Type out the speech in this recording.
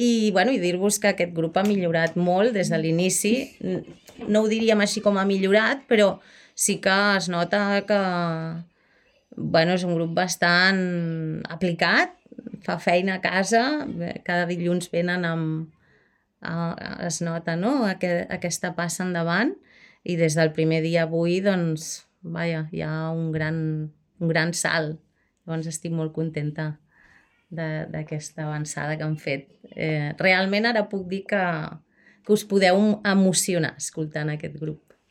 I dir-vos que aquest grup ha millorat molt des de l'inici. No ho diríem així com ha millorat, però sí que es nota que és un grup bastant aplicat, fa feina a casa, cada dilluns venen es nota, no?, aquesta passa endavant, i des del primer dia avui, doncs, hi ha un gran salt. Llavors estic molt contenta d'aquesta avançada que han fet. Realment ara puc dir que us podeu emocionar escoltant aquest grup.